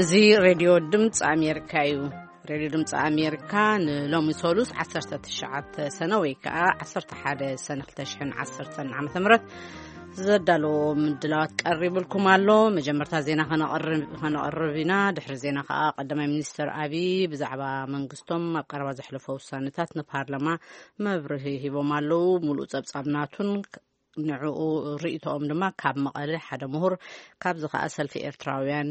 እዚ ሬድዮ ድምፂ ኣሜሪካ እዩ። ሬድዮ ድምፂ ኣሜሪካ ንሎሚ ሰሉስ ዓሰርተ ትሽዓተ ሰነ ወይ ከዓ ዓሰርተ ሓደ ሰነ ክልተ ሽሕን ዓሰርተን ዓመተ ምህረት ዘዳለዎ ምድላዋት ቀሪብልኩም ኣሎ። መጀመርታ ዜና ከነቕርብ ከነቕርብ ኢና። ድሕሪ ዜና ከዓ ቀዳማይ ሚኒስትር ኣብይ ብዛዕባ መንግስቶም ኣብ ቀረባ ዘሕለፎ ውሳነታት ንፓርላማ መብርሂ ሂቦም ኣለዉ። ሙሉእ ጸብጻብ ናቱን ንዕኡ ርእይቶኦም ድማ ካብ መቐለ ሓደ ምሁር፣ ካብዚ ከኣ ሰልፊ ኤርትራውያን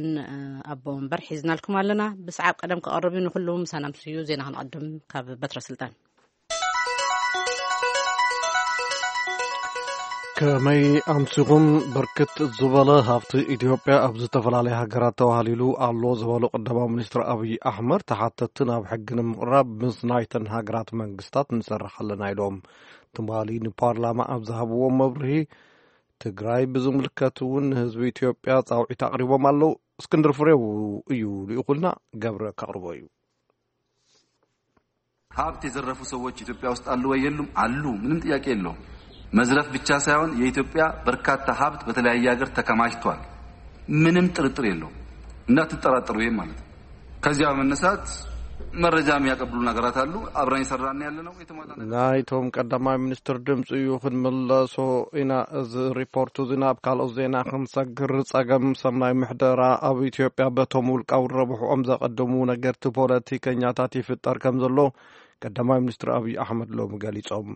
ኣቦ ወንበር ሒዝናልኩም ኣለና። ብሰዓብ ቀደም ክቐርብ እዩ። ንኹሉ ምሳና ምስዩ ዜና ክንቐድም ካብ በትረ ስልጣን። ከመይ ኣምሲኹም? ብርክት ዝበለ ሃብቲ ኢትዮጵያ ኣብ ዝተፈላለያ ሃገራት ተዋህሊሉ ኣሎ ዝበሉ ቀዳማዊ ሚኒስትር ኣብይ ኣሕመድ፣ ተሓተትቲ ናብ ሕጊ ንምቕራብ ምስ ናይተን ሃገራት መንግስታት ንሰርሕ ኣለና ኢሎም። ትማሊ ንፓርላማ ኣብ ዝሃብዎ መብርሂ፣ ትግራይ ብዝምልከት እውን ንህዝቢ ኢትዮጵያ ጻውዒት ኣቕሪቦም ኣለዉ። እስክንድር ፍሬው እዩ ልኢኹልና፣ ገብረ ከቕርቦ እዩ። ሀብት የዘረፉ ሰዎች ኢትዮጵያ ውስጥ አሉ ወይ የሉም? አሉ። ምንም ጥያቄ የለውም። መዝረፍ ብቻ ሳይሆን የኢትዮጵያ በርካታ ሀብት በተለያየ ሀገር ተከማችቷል። ምንም ጥርጥር የለውም። እንዳትጠራጠሩ ይሄ ማለት ነው። ከዚያ በመነሳት መረጃ የሚያቀብሉ ነገራት አሉ። አብረን የሰራን ያለ ነው። የተሟላ ነገር ናይቶም ቀዳማይ ሚኒስትር ድምፂ እዩ ክንምለሶ ኢና። እዚ ሪፖርት እዚ ናብ ካልኦት ዜና ክንሰግር፣ ጸገም ሰናይ ምሕደራ ኣብ ኢትዮጵያ በቶም ውልቃዊ ረብሕኦም ዘቐድሙ ነገርቲ ፖለቲከኛታት ይፍጠር ከም ዘሎ ቀዳማይ ሚኒስትር ኣብይ ኣሕመድ ሎሚ ገሊጾም።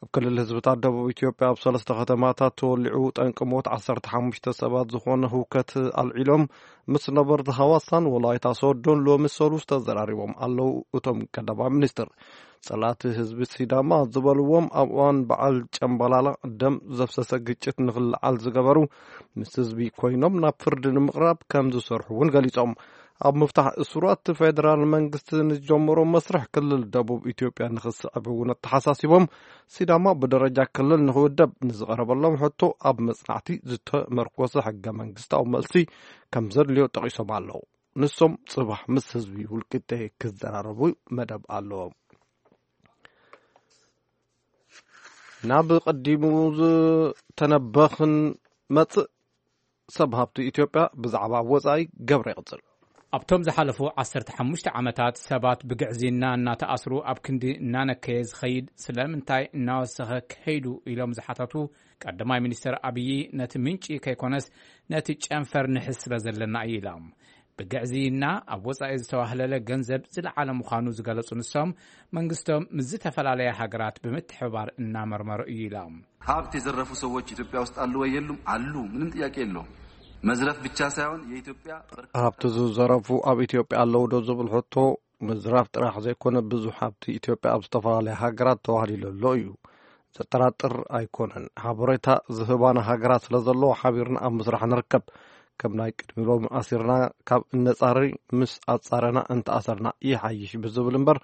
ኣብ ክልል ህዝብታት ደቡብ ኢትዮጵያ ኣብ ሰለስተ ከተማታት ተወሊዑ ጠንቂ ሞት ዓሰርተ ሓሙሽተ ሰባት ዝኾነ ህውከት ኣልዒሎም ምስ ነበርቲ ሃዋሳን ወላይታ ሶዶን ሎሚ ሰሉስ ተዘራሪቦም ኣለዉ። እቶም ቀዳማይ ሚኒስትር ጸላእቲ ህዝቢ ሲዳማ ዝበልዎም ኣብ እዋን በዓል ጨምባላላ ደም ዘፍሰሰ ግጭት ንኽልዓል ዝገበሩ ምስ ህዝቢ ኮይኖም ናብ ፍርዲ ንምቕራብ ከም ዝሰርሑ እውን ገሊጾም። ኣብ ምፍታሕ እሱራት ፌደራል መንግስቲ ንዝጀመሮ መስርሕ ክልል ደቡብ ኢትዮጵያ ንኽስዕብ እውን ኣተሓሳሲቦም። ሲዳማ ብደረጃ ክልል ንኽውደብ ንዝቐረበሎም ሕቶ ኣብ መጽናዕቲ ዝተመርኮሰ ሕገ መንግስታዊ መልሲ ከም ዘድልዮ ጠቒሶም ኣለዉ። ንሶም ጽባሕ ምስ ህዝቢ ውልቂጤ ክዘራረቡ መደብ ኣለዎም። ናብ ቀዲሙ ዝተነበኽን መጽእ ሰብ ሃብቲ ኢትዮጵያ ብዛዕባ ወጻኢ ገብረ ይቕጽል። ኣብቶም ዝሓለፉ ዓሰርተ ሓሙሽተ ዓመታት ሰባት ብግዕዝይና እናተኣስሩ ኣብ ክንዲ እናነከየ ዝኸይድ ስለምንታይ እናወሰኸ ከይዱ ኢሎም ዝሓተቱ ቀዳማይ ሚኒስትር ኣብዪ ነቲ ምንጪ ከይኮነስ ነቲ ጨንፈር ንሕዝ ስለ ዘለና እዩ ኢሎም። ብግዕዝይና ኣብ ወጻኢ ዝተዋህለለ ገንዘብ ዝለዓለ ምዃኑ ዝገለጹ ንሶም መንግስቶም ምስ ዝተፈላለያ ሃገራት ብምትሕብባር እናመርመሩ እዩ ኢሎም። ሀብት የዘረፉ ሰዎች ኢትዮጵያ ውስጥ አሉ ወይ የሉም? አሉ። ምንም ጥያቄ የለውም። መዝረፍ ብቻ ሳይሆን የኢትዮጵያ በርካታ ሀብት ዝዘረፉ ኣብ ኢትዮጵያ ኣለዉ ዶ ዝብል ሕቶ ምዝራፍ ጥራሕ ዘይኮነ ብዙሕ ሃብቲ ኢትዮጵያ ኣብ ዝተፈላለያ ሃገራት ተዋህሊሉ ኣሎ እዩ። ዘጠራጥር ኣይኮነን። ሓበሬታ ዝህባና ሃገራት ስለ ዘለዎ ሓቢርና ኣብ ምስራሕ ንርከብ። ከም ናይ ቅድሚ ሎሚ ኣሲርና ካብ እነጻሪ ምስ ኣጻረና እንተኣሰርና ይሓይሽ ብዝብል እምበር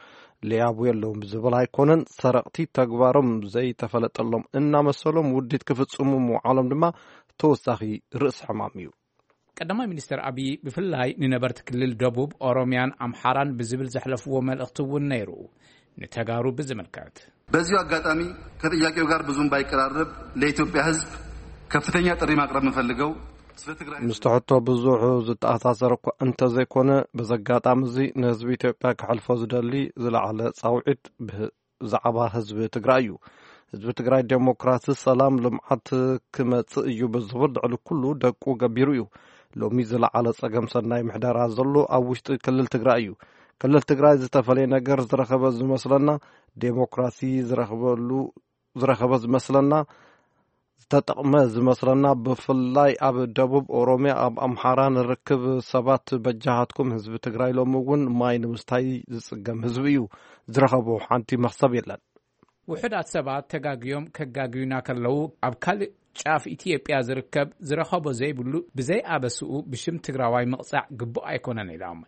ለያቡ የለውም ብዝብል ኣይኮነን። ሰረቕቲ ተግባሮም ዘይተፈለጠሎም እናመሰሎም ውዲት ክፍጽሙ ምውዓሎም ድማ ተወሳኺ ርእሲ ሕማም እዩ። ቀዳማይ ሚኒስትር ኣብይ ብፍላይ ንነበርቲ ክልል ደቡብ ኦሮሚያን ኣምሓራን ብዝብል ዘሕለፍዎ መልእኽቲ እውን ነይሩ። ንተጋሩ ብዝምልከት በዚሁ አጋጣሚ ከጥያቄው ጋር ብዙም ባይቀራረብ ለኢትዮጵያ ሕዝብ ከፍተኛ ጥሪ ማቅረብ የምፈልገው ስለ ትግራይ ምስቲ ሕቶ ብዙሕ ዝተኣሳሰር እኳ እንተዘይኮነ፣ በዚ ኣጋጣሚ እዚ ንህዝቢ ኢትዮጵያ ከሕልፎ ዝደሊ ዝለዓለ ጻውዒት ብዛዕባ ህዝቢ ትግራይ እዩ። ህዝቢ ትግራይ ዴሞክራሲ፣ ሰላም፣ ልምዓት ክመጽእ እዩ ብዝብል ልዕሊ ኩሉ ደቁ ገቢሩ እዩ። ሎሚ ዝለዓለ ጸገም ሰናይ ምሕደራ ዘሎ ኣብ ውሽጢ ክልል ትግራይ እዩ። ክልል ትግራይ ዝተፈለየ ነገር ዝረኸበ ዝመስለና፣ ዴሞክራሲ ዝረኸበሉ ዝረኸበ ዝመስለና፣ ዝተጠቕመ ዝመስለና፣ ብፍላይ ኣብ ደቡብ ኦሮሚያ ኣብ ኣምሓራ ንርክብ ሰባት በጃኻትኩም ህዝቢ ትግራይ ሎሚ እውን ማይ ንምስታይ ዝፅገም ህዝቢ እዩ። ዝረኸቦ ሓንቲ መኽሰብ የለን። ውሑዳት ሰባት ተጋግዮም ከጋግዩና ከለዉ ኣብ ካልእ ጫፍ ኢትዮጵያ ዝርከብ ዝረኸቦ ዘይብሉ ብዘይ ኣበስኡ ብሽም ትግራዋይ ምቕፃዕ ግቡእ ኣይኮነን ኢሎም።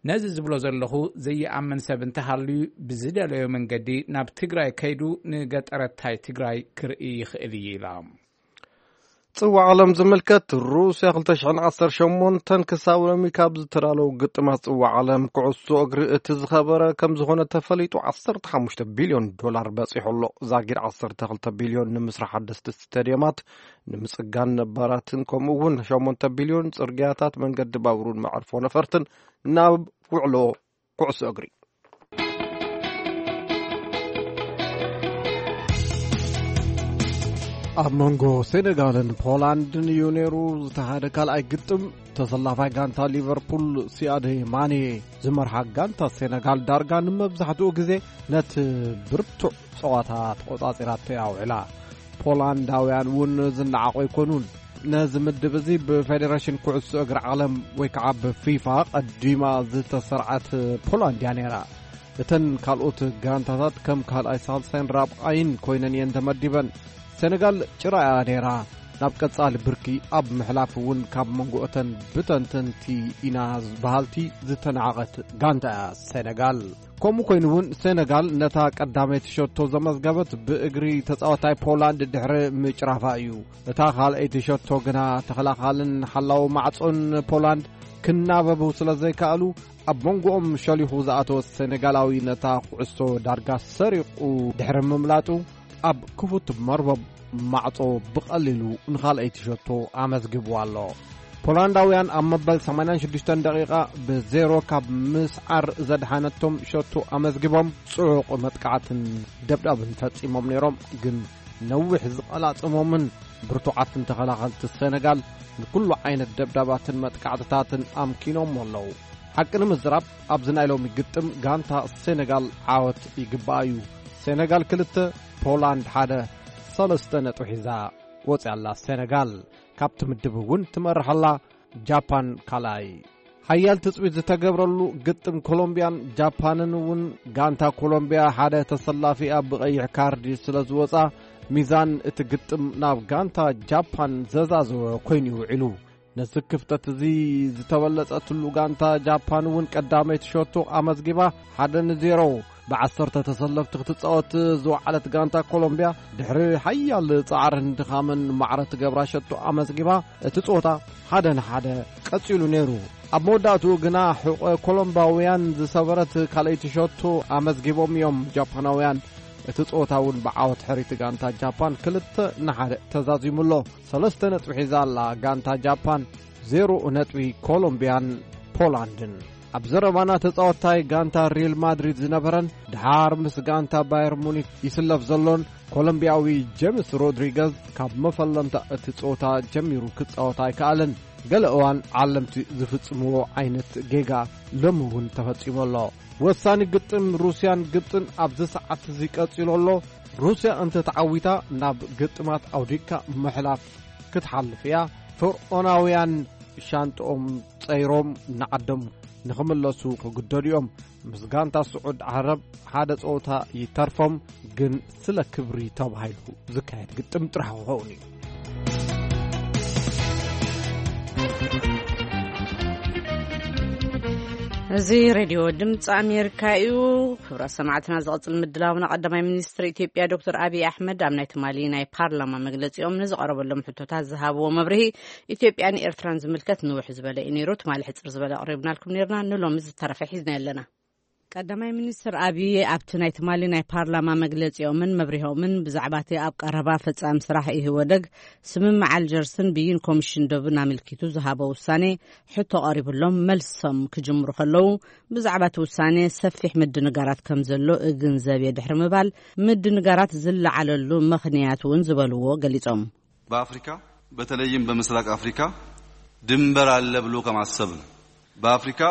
ነዚ ዝብሎ ዘለኹ ዘይኣምን ሰብ እንተሃልዩ ብዝደለዮ መንገዲ ናብ ትግራይ ከይዱ ንገጠረታይ ትግራይ ክርኢ ይኽእል እዩ ኢሎም። ጽዋዕ ዓለም ዝምልከት፣ ሩስያ ክልተ ሽሕን ዓሰርተ ሸሞንተን ክሳብ ሎሚ ካብ ዝተዳለዉ ግጥማት ጽዋዕ ዓለም ኩዕሶ እግሪ እቲ ዝኸበረ ከም ዝኾነ ተፈሊጡ፣ ዓሰርተ ሓሙሽተ ቢልዮን ዶላር በጺሑ ኣሎ። ዛጊድ ዓሰርተ ክልተ ቢልዮን ንምስራሕ ሓደስቲ ስቴድየማት፣ ንምጽጋን ነባራትን፣ ከምኡ እውን ሸሞንተ ቢልዮን ጽርግያታት፣ መንገዲ ባቡርን መዕርፎ ነፈርትን ናብ ውዕሎ ኩዕሶ እግሪ። ኣብ መንጎ ሴኔጋልን ፖላንድን እዩ ነይሩ ዝተኻየደ ካልኣይ ግጥም። ተሰላፋይ ጋንታ ሊቨርፑል ሲያድ ማኔ ዝመርሓ ጋንታ ሴኔጋል ዳርጋ ንመብዛሕትኡ ግዜ ነቲ ብርቱዕ ጸዋታ ተቖጻጺራቶ እያ ውዒላ። ፖላንዳውያን እውን ዝነዓቑ ኣይኮኑን። ነዚ ምድብ እዚ ብፌደሬሽን ኩዕሶ እግሪ ዓለም ወይ ከዓ ብፊፋ ቀዲማ ዝተሰርዓት ፖላንድ እያ ነይራ። እተን ካልኦት ጋንታታት ከም ካልኣይ፣ ሳልሳይን ራብዓይን ኮይነን እየን ተመዲበን። ሴኔጋል ጭራ እያ ነይራ። ናብ ቀጻሊ ብርኪ ኣብ ምሕላፍ እውን ካብ መንጎ እተን ብተንተንቲ ኢና በሃልቲ ዝተናዕቐት ጋንታ እያ ሴኔጋል። ከምኡ ኮይኑ እውን ሴኔጋል ነታ ቀዳመይቲ ሸቶ ዘመዝገበት ብእግሪ ተጻዋታይ ፖላንድ ድሕሪ ምጭራፋ እዩ። እታ ካልኣይቲ ሸቶ ግና ተኸላኻልን ሓላው ማዕጾን ፖላንድ ክናበቡ ስለ ዘይከኣሉ፣ ኣብ መንጎኦም ሸሊኹ ዝኣተወ ሴኔጋላዊ ነታ ኩዕሶ ዳርጋ ሰሪቑ ድሕሪ ምምላጡ፣ ኣብ ክፉት መርበብ ማዕጾ ብቐሊሉ ንኻልኣይቲ ሸቶ ኣመዝጊቡ ኣሎ። ፖላንዳውያን ኣብ መበል ሰማንያን ሽዱሽተን ደቂቓ ብዜሮ ካብ ምስዓር ዘድሓነቶም ሸቶ ኣመዝጊቦም፣ ጽዑቕ መጥቃዕትን ደብዳብን ፈጺሞም ነይሮም። ግን ነዊሕ ዝቐላጽሞምን ብርቱዓትን ተኸላኸልቲ ሴነጋል ንኩሉ ዓይነት ደብዳባትን መጥቃዕትታትን ኣምኪኖም ኣለዉ። ሓቂ ንምዝራብ፣ ኣብዚ ናይ ሎሚ ግጥም ጋንታ ሴነጋል ዓወት ይግባኣ እዩ። ሴነጋል ክልተ፣ ፖላንድ ሓደ፣ ሰለስተ ነጥቢ ሒዛ ወጽያ ኣላ ሴነጋል። ካብቲ ምድብ እውን ትመርሕ ኣላ። ጃፓን ካልኣይ። ሓያል ትጽቢት ዝተገብረሉ ግጥም ኮሎምቢያን ጃፓንን እውን፣ ጋንታ ኮሎምቢያ ሓደ ተሰላፊኣ ብቐይሕ ካርዲ ስለ ዝወጻ፣ ሚዛን እቲ ግጥም ናብ ጋንታ ጃፓን ዘዛዘወ ኮይኑ እዩ ውዒሉ። ነዚ ክፍተት እዚ ዝተበለጸትሉ ጋንታ ጃፓን እውን ቀዳመይቲ ሸቶ ኣመዝጊባ፣ ሓደ ንዜሮ። ብዓሰርተ ተሰለፍቲ ክትጻወት ዝወዓለት ጋንታ ኮሎምቢያ፣ ድሕሪ ሓያል ጻዕርን ድኻምን ማዕረ ትገብራ ሸቶ ኣመዝጊባ፣ እቲ ጸወታ ሓደ ንሓደ ቀጺሉ ነይሩ። ኣብ መወዳእትኡ ግና፣ ሕቖ ኮሎምባውያን ዝሰበረት ካልኣይቲ ሸቶ ኣመዝጊቦም እዮም ጃፓናውያን። እቲ ጸወታ እውን ብዓወት ሕሪቲ ጋንታ ጃፓን ክልተ ንሓደ ተዛዚሙ ኣሎ። ሰለስተ ነጥቢ ሒዛ ኣላ ጋንታ ጃፓን፣ ዜሮ ነጥቢ ኮሎምቢያን ፖላንድን። ኣብ ዘረባና፣ ተጻዋታይ ጋንታ ሪል ማድሪድ ዝነበረን ድሓር ምስ ጋንታ ባየር ሙኒክ ይስለፍ ዘሎን ኮሎምቢያዊ ጄምስ ሮድሪገዝ፣ ካብ መፈለምታ እቲ ጸወታ ጀሚሩ ክጻወት ኣይከኣለን። ገለ እዋን ዓለምቲ ዝፍጽምዎ ዓይነት ጌጋ ሎሚ እውን ተፈጺሙ ኣሎ። ወሳኒ ግጥም ሩስያን ግብጽን ኣብዚ ሰዓት እዚ ቀጺሉ ኣሎ። ሩስያ እንተ ተዓዊታ፣ ናብ ግጥማት ኣውዲካ ምሕላፍ ክትሓልፍ እያ። ፈርዖናውያን ሻንጥኦም ጸይሮም ንዓዶም ንኽምለሱ ክግደዱ እዮም። ምስ ጋንታ ስዑድ ዓረብ ሓደ ጸወታ ይተርፎም፣ ግን ስለ ክብሪ ተባሂሉ ዝካየድ ግጥም ጥራሕ ክኸውን እዩ። እዚ ሬድዮ ድምፂ ኣሜሪካ እዩ። ክቡራት ሰማዕትና፣ ዝቐጽል ምድላውና፣ ቀዳማይ ሚኒስትር ኢትዮጵያ ዶክተር ኣብይ ኣሕመድ ኣብ ናይ ትማሊ ናይ ፓርላማ መግለጺኦም ንዝቐረበሎም ሕቶታት ዝሃብዎ መብርሂ፣ ኢትዮጵያን ኤርትራን ዝምልከት ንውሕ ዝበለ እዩ ነይሩ። ትማሊ ሕጽር ዝበለ ኣቕሪብናልኩም ነይርና። ንሎሚ ዝተረፈ ሒዝና ኣለና። ቀዳማይ ሚኒስትር ኣብይ ኣብቲ ናይ ትማሊ ናይ ፓርላማ መግለጺኦምን መብርሆምን፣ ብዛዕባ እቲ ኣብ ቀረባ ፈጻሚ ስራሕ ኢህወደግ ስምምዕ ኣልጀርስን ብይን ኮሚሽን ዶብን ኣመልኪቱ ዝሃቦ ውሳኔ ሕቶ ቀሪብሎም መልሶም ክጅምሩ ከለዉ፣ ብዛዕባ እቲ ውሳኔ ሰፊሕ ምድንጋራት ከም ዘሎ እግንዘብ እየ ድሕሪ ምባል፣ ምድንጋራት ዝለዓለሉ ምኽንያት እውን ዝበልዎ ገሊጾም። በአፍሪካ፣ በተለይም በምስራቅ አፍሪካ ድንበር አለ ብሎ ከማሰብ ነው። በአፍሪካ፣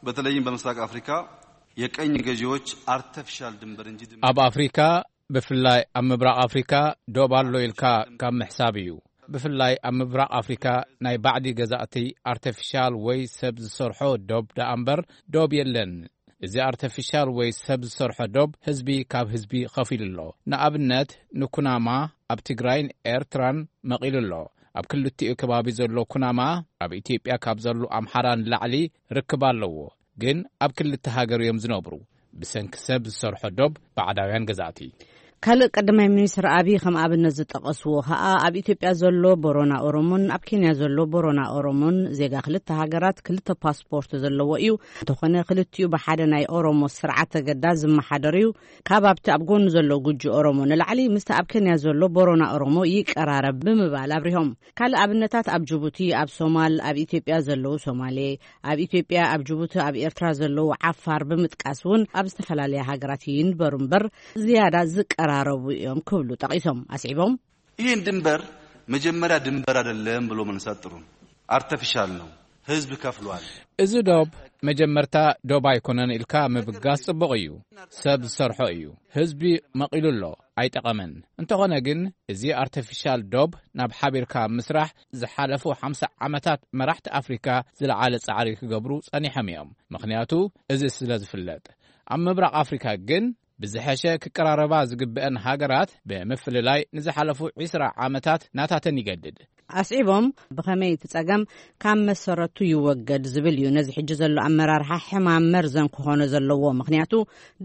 በተለይም በምስራቅ አፍሪካ የቀኝ ገዢዎች አርተፊሻል ድንበር እንጂ ድንበር ኣብ ኣፍሪካ፣ ብፍላይ ኣብ ምብራቕ ኣፍሪካ፣ ዶብ ኣሎ ኢልካ ካብ ምሕሳብ እዩ። ብፍላይ ኣብ ምብራቕ ኣፍሪካ፣ ናይ ባዕዲ ገዛእቲ ኣርተፊሻል ወይ ሰብ ዝሰርሖ ዶብ ደኣ እምበር ዶብ የለን። እዚ ኣርተፊሻል ወይ ሰብ ዝሰርሖ ዶብ ህዝቢ ካብ ህዝቢ ኸፊሉ ኣሎ። ንኣብነት፣ ንኩናማ ኣብ ትግራይን ኤርትራን መቒሉ ኣሎ። ኣብ ክልቲኡ ከባቢ ዘሎ ኩናማ፣ ኣብ ኢትዮጵያ ካብ ዘሎ ኣምሓራ ንላዕሊ ርክብ ኣለዎ። ግን ኣብ ክልተ ሃገር እዮም ዝነብሩ፣ ብሰንኪ ሰብ ዝሰርሖ ዶብ ባዕዳውያን ገዛእቲ። ካልእ ቀዳማይ ሚኒስትር ኣብይ ከም ኣብነት ዝጠቐስዎ ከኣ፣ ኣብ ኢትዮጵያ ዘሎ ቦሮና ኦሮሞን ኣብ ኬንያ ዘሎ ቦሮና ኦሮሞን ዜጋ ክልተ ሃገራት ክልተ ፓስፖርት ዘለዎ እዩ። እንተኾነ ክልቲኡ ብሓደ ናይ ኦሮሞ ስርዓተ ገዳ ዝመሓደር እዩ። ካብ ኣብቲ ኣብ ጎኑ ዘሎ ጉጂ ኦሮሞ ንላዕሊ ምስቲ ኣብ ኬንያ ዘሎ ቦሮና ኦሮሞ ይቀራረብ ብምባል ኣብሪሆም። ካልእ ኣብነታት ኣብ ጅቡቲ፣ ኣብ ሶማል፣ ኣብ ኢትዮጵያ ዘለዉ ሶማሌ፣ ኣብ ኢትዮጵያ፣ ኣብ ጅቡቲ፣ ኣብ ኤርትራ ዘለዉ ዓፋር ብምጥቃስ እውን ኣብ ዝተፈላለያ ሃገራት ይንበሩ እምበር ዝያዳ ዝቀራረቡ እዮም ክብሉ ጠቒሶም ኣስዒቦም። ይህን ድንበር መጀመሪያ ድንበር አይደለም ብሎ መንሳት ጥሩ ነው። አርተፊሻል ነው። ህዝብ ከፍሏል። እዚ ዶብ መጀመርታ ዶብ ኣይኮነን ኢልካ ምብጋስ ጽቡቕ እዩ። ሰብ ዝሰርሖ እዩ። ህዝቢ መቒሉ ኣሎ፣ ኣይጠቐመን። እንተኾነ ግን እዚ ኣርተፊሻል ዶብ ናብ ሓቢርካ ምስራሕ ዝሓለፉ ሓምሳ ዓመታት መራሕቲ ኣፍሪካ ዝለዓለ ጻዕሪ ክገብሩ ጸኒሖም እዮም። ምኽንያቱ እዚ ስለ ዝፍለጥ። ኣብ ምብራቕ ኣፍሪካ ግን ብዝሐሸ ክቀራረባ ዝግብአን ሃገራት ብምፍልላይ ንዝሓለፉ ዕስራ ዓመታት ናታተን ይገድድ። ኣስዒቦም ብኸመይ እቲ ጸገም ካብ መሰረቱ ይወገድ ዝብል እዩ። ነዚ ሕጂ ዘሎ ኣመራርሓ ሕማም መርዘን ክኾኖ ዘለዎ፣ ምኽንያቱ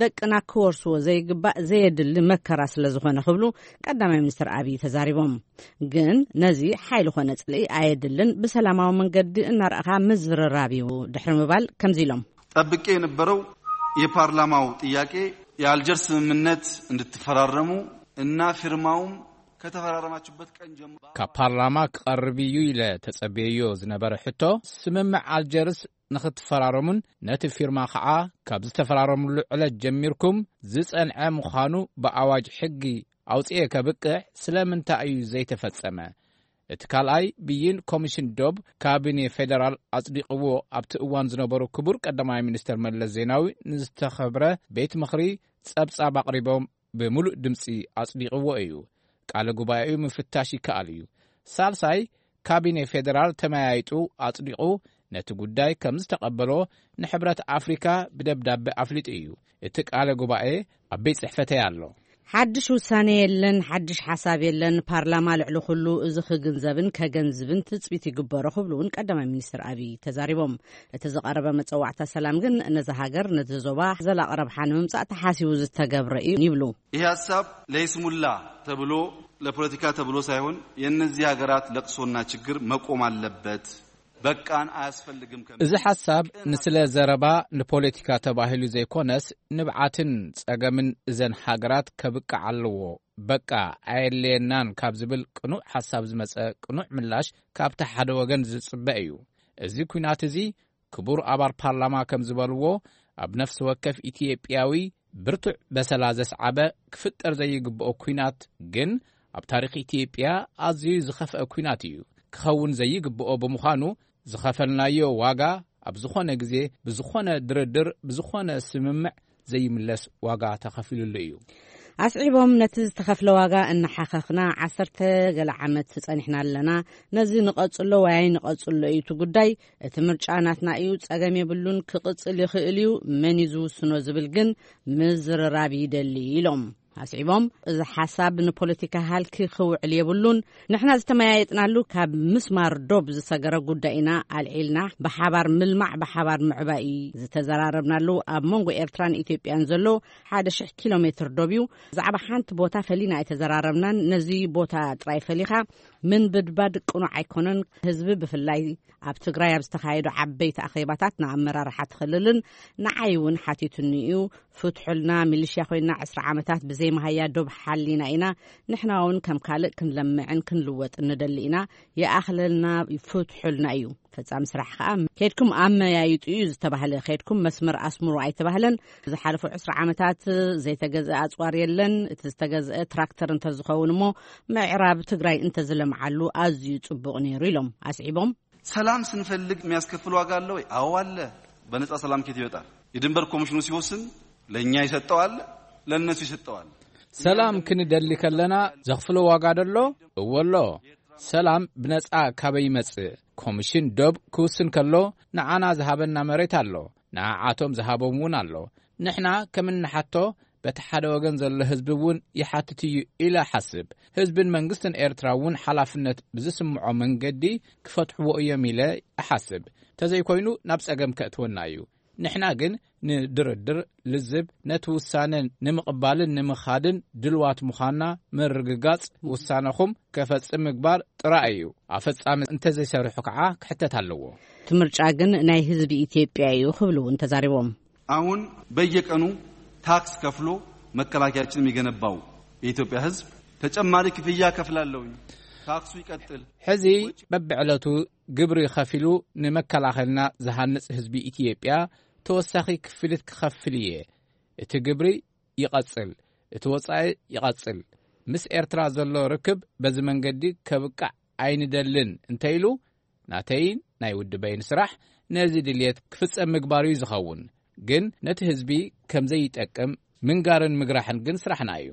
ደቅና ክወርስዎ ዘይግባእ ዘየድሊ መከራ ስለ ዝኾነ ክብሉ ቀዳማይ ሚኒስትር ኣብይ ተዛሪቦም። ግን ነዚ ሓይሊ ኮነ ጽልኢ ኣየድልን፣ ብሰላማዊ መንገዲ እናረኣኻ ምዝርራብ እዩ ድሕሪ ምባል ከምዚ ኢሎም። ጠብቄ የነበረው የፓርላማው ጥያቄ የአልጀርስ ስምምነት እንድትፈራረሙ እና ፊርማውም ከተፈራረማችሁበት ቀን ጀምሮ ካብ ፓርላማ ክቐርብ እዩ ኢለ ተጸብየዮ ዝነበረ ሕቶ፣ ስምምዕ ኣልጀርስ ንኽትፈራረሙን ነቲ ፊርማ ኸዓ ካብ ዝተፈራረምሉ ዕለት ጀሚርኩም ዝጸንዐ ምዃኑ ብኣዋጅ ሕጊ ኣውጽኤ ከብቅዕ ስለምንታይ እዩ ዘይተፈጸመ? እቲ ካልኣይ ብይን ኮሚሽን ዶብ ካቢኔ ፌደራል ኣጽዲቕዎ ኣብቲ እዋን ዝነበሩ ክቡር ቀዳማይ ሚኒስተር መለስ ዜናዊ ንዝተኸብረ ቤት ምኽሪ ጸብጻብ ኣቕሪቦም ብምሉእ ድምጺ ኣጽዲቕዎ እዩ። ቃለ ጉባኤኡ ምፍታሽ ይከኣል እዩ። ሳልሳይ ካቢኔ ፌደራል ተመያይጡ ኣጽዲቑ ነቲ ጉዳይ ከም ዝተቐበሎ ንሕብረት ኣፍሪካ ብደብዳቤ ኣፍሊጡ እዩ። እቲ ቃለ ጉባኤ ኣብ ቤት ጽሕፈተይ ኣሎ። ሓድሽ ውሳነ የለን፣ ሓድሽ ሓሳብ የለን። ፓርላማ ልዕሊ ኩሉ እዚ ክግንዘብን ከገንዝብን ትጽቢት ይግበሮ ክብሉ እውን ቀዳማይ ሚኒስትር ኣብይ ተዛሪቦም። እቲ ዝቐረበ መጸዋዕታ ሰላም ግን ነዛ ሃገር ነቲ ዞባ ዘላቒ ረብሓ ንምምጻእ ተሓሲቡ ዝተገብረ እዩ ይብሉ። ይህ ሀሳብ ለይስሙላ ተብሎ ለፖለቲካ ተብሎ ሳይሆን የእነዚህ ሀገራት ለቅሶና ችግር መቆም አለበት። በቃን አያስፈልግም ከሚል እዚ ሓሳብ ንስለ ዘረባ ንፖለቲካ ተባሂሉ ዘይኮነስ ንብዓትን ጸገምን እዘን ሃገራት ከብቅዕ ኣለዎ። በቃ ኣየድልየናን ካብ ዝብል ቅኑዕ ሓሳብ ዝመጸ ቅኑዕ ምላሽ ካብቲ ሓደ ወገን ዝጽበ እዩ። እዚ ኲናት እዚ ክቡር ኣባል ፓርላማ ከም ዝበልዎ ኣብ ነፍሲ ወከፍ ኢትዮጵያዊ ብርቱዕ በሰላ ዘስዓበ ክፍጠር ዘይግብኦ ኲናት ግን ኣብ ታሪኽ ኢትዮጵያ ኣዝዩ ዝኸፍአ ኲናት እዩ። ክኸውን ዘይግብኦ ብምዃኑ ዝኸፈልናዮ ዋጋ ኣብ ዝኾነ ግዜ ብዝኾነ ድርድር ብዝኾነ ስምምዕ ዘይምለስ ዋጋ ተኸፊሉሉ እዩ። ኣስዒቦም ነቲ ዝተኸፍለ ዋጋ እናሓኸኽና ዓሰርተ ገለ ዓመት ጸኒሕና ኣለና። ነዚ ንቐጽሎ ወይ ኣይንቐጽሎ እዩ እቲ ጉዳይ። እቲ ምርጫ ናትና እዩ፣ ጸገም የብሉን፣ ክቕጽል ይኽእል እዩ። መን እዩ ዝውስኖ ዝብል ግን ምዝርራብ ይደሊ ኢሎም። ኣስዒቦም እዚ ሓሳብ ንፖለቲካ ሃልኪ ክውዕል የብሉን። ንሕና ዝተመያየጥናሉ ካብ ምስማር ዶብ ዝሰገረ ጉዳይ ኢና ኣልዒልና። ብሓባር ምልማዕ ብሓባር ምዕባይ ዝተዘራረብናሉ። ኣብ መንጎ ኤርትራን ኢትዮጵያን ዘሎ ሓደ ሽሕ ኪሎ ሜትር ዶብ እዩ። ብዛዕባ ሓንቲ ቦታ ፈሊና ኣይተዘራረብናን። ነዚ ቦታ ጥራይ ፈሊኻ ምንብድባድ ቅኑዕ ኣይኮነን። ህዝቢ ብፍላይ ኣብ ትግራይ ኣብ ዝተኻየዱ ዓበይቲ ኣኼባታት ንኣመራርሓ ትኽልልን ንዓይ እውን ሓቲቱኒ እዩ። ፍትሑልና፣ ሚሊሽያ ኮይና ዕስራ ዓመታት ብዘይ መሃያ ዶብ ሓሊና ኢና። ንሕና እውን ከም ካልእ ክንለምዕን ክንልወጥን ንደሊ ኢና። ይኣኽለልና፣ ፍትሑልና እዩ። ፈጻሚ ስራሕ ከኣ ከድኩም ኣመያይጡ እዩ ዝተባህለ። ከድኩም መስመር ኣስምሩ ኣይተባህለን። ዝሓለፉ ዕስራ ዓመታት ዘይተገዝአ ኣጽዋር የለን። እቲ ዝተገዝአ ትራክተር እንተዝኸውን እሞ ምዕራብ ትግራይ እንተዝለምዓሉ ኣዝዩ ጽቡቕ ነይሩ ኢሎም ኣስዒቦም። ሰላም ስንፈልግ የሚያስከፍል ዋጋ አለ ወይ? አዎ አለ። በነጻ ሰላም ከየት ይመጣል? የድንበር ኮሚሽኑ ሲወስን ለእኛ የሰጠው አለ፣ ለእነሱ የሰጠው አለ። ሰላም ክንደሊ ከለና ዘኽፍሎ ዋጋ ደሎ? እወ ኣሎ። ሰላም ብነጻ ካበይ ይመጽእ? ኮሚሽን ዶብ ክውስን ከሎ ንዓና ዝሃበና መሬት ኣሎ፣ ንዓዓቶም ዝሃቦም እውን ኣሎ። ንሕና ከም እንሓቶ በቲ ሓደ ወገን ዘሎ ህዝቢ እውን ይሓትት እዩ ኢለ እሓስብ። ህዝብን መንግስትን ኤርትራ እውን ሓላፍነት ብዝስምዖ መንገዲ ክፈትሕዎ እዮም ኢለ እሓስብ። ተዘይኮይኑ ናብ ጸገም ከእትወና እዩ። ንሕና ግን ንድርድር ልዝብ፣ ነቲ ውሳነ ንምቕባልን ንምኻድን ድልዋት ምዃንና ምርግጋጽ፣ ውሳነኹም ከፈጽም ምግባር ጥራይ እዩ። ኣፈጻሚ እንተዘይሰርሑ ከዓ ክሕተት ኣለዎ። እቲ ምርጫ ግን ናይ ህዝቢ ኢትዮጵያ እዩ ክብሉ እውን ተዛሪቦም። አሁን በየቀኑ ታክስ ከፍሎ መከላከያችን የሚገነባው የኢትዮጵያ ህዝብ ተጨማሪ ክፍያ ከፍላለሁኝ። ታክሱ ይቀጥል። ሕዚ በብዕለቱ ግብሪ ከፊሉ ንመከላኸልና ዝሃንጽ ህዝቢ ኢትዮጵያ ተወሳኺ ክፍሊት ክኸፍል እየ። እቲ ግብሪ ይቐጽል፣ እቲ ወጻኢ ይቐጽል። ምስ ኤርትራ ዘሎ ርክብ በዚ መንገዲ ከብቃዕ ኣይንደልን እንተኢሉ፣ ናተይን ናይ ውድበይን ስራሕ ነዚ ድልየት ክፍጸም ምግባር እዩ ዝኸውን። ግን ነቲ ህዝቢ ከም ዘይጠቅም ምንጋርን ምግራሕን ግን ስራሕና እዩ።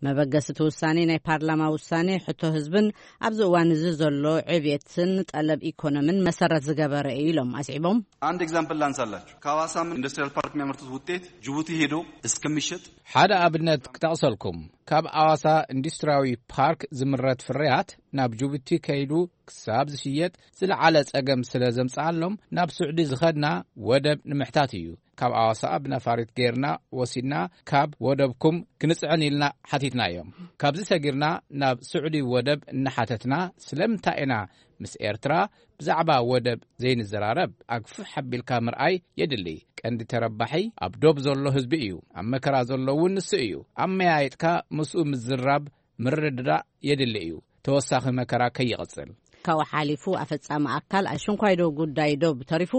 መበገሲ እቲ ውሳኔ ናይ ፓርላማ ውሳኔ ሕቶ ህዝብን ኣብዚ እዋን እዚ ዘሎ ዕብየትን ጠለብ ኢኮኖምን መሰረት ዝገበረ እዩ ኢሎም ኣስዒቦም። አንድ ኤግዛምፕል ላንሳላችሁ። ከሐዋሳ ኢንዱስትሪያል ፓርክ የሚያመርቱት ውጤት ጅቡቲ ሄዶ እስከሚሸጥ ሓደ ኣብነት ክጠቕሰልኩም፣ ካብ ኣዋሳ ኢንዱስትሪያዊ ፓርክ ዝምረት ፍርያት ናብ ጅቡቲ ከይዱ ክሳብ ዝሽየጥ ዝለዓለ ጸገም ስለ ዘምጽኣሎም ናብ ስዑዲ ዝኸድና ወደብ ንምሕታት እዩ። ካብ ኣዋሳ ብነፋሪት ጌርና ወሲድና ካብ ወደብኩም ክንጽዕን ኢልና ሓቲትናዮም። ካብዚ ሰጊርና ናብ ስዑዲ ወደብ እናሓተትና ስለምንታይ ኢና ምስ ኤርትራ ብዛዕባ ወደብ ዘይንዘራረብ ኣግፍሕ ኣቢልካ ምርኣይ የድሊ። ቀንዲ ተረባሒ ኣብ ዶብ ዘሎ ህዝቢ እዩ። ኣብ መከራ ዘሎ እውን ንሱ እዩ። ኣመያይጥካ ምስኡ ምዝራብ ምርድዳእ የድሊ እዩ። ተወሳኺ መከራ ከይቕጽል። ካብኡ ሓሊፉ ኣፈጻሚ ኣካል ኣሽንኳይ ዶ ጉዳይ ዶብ ተሪፉ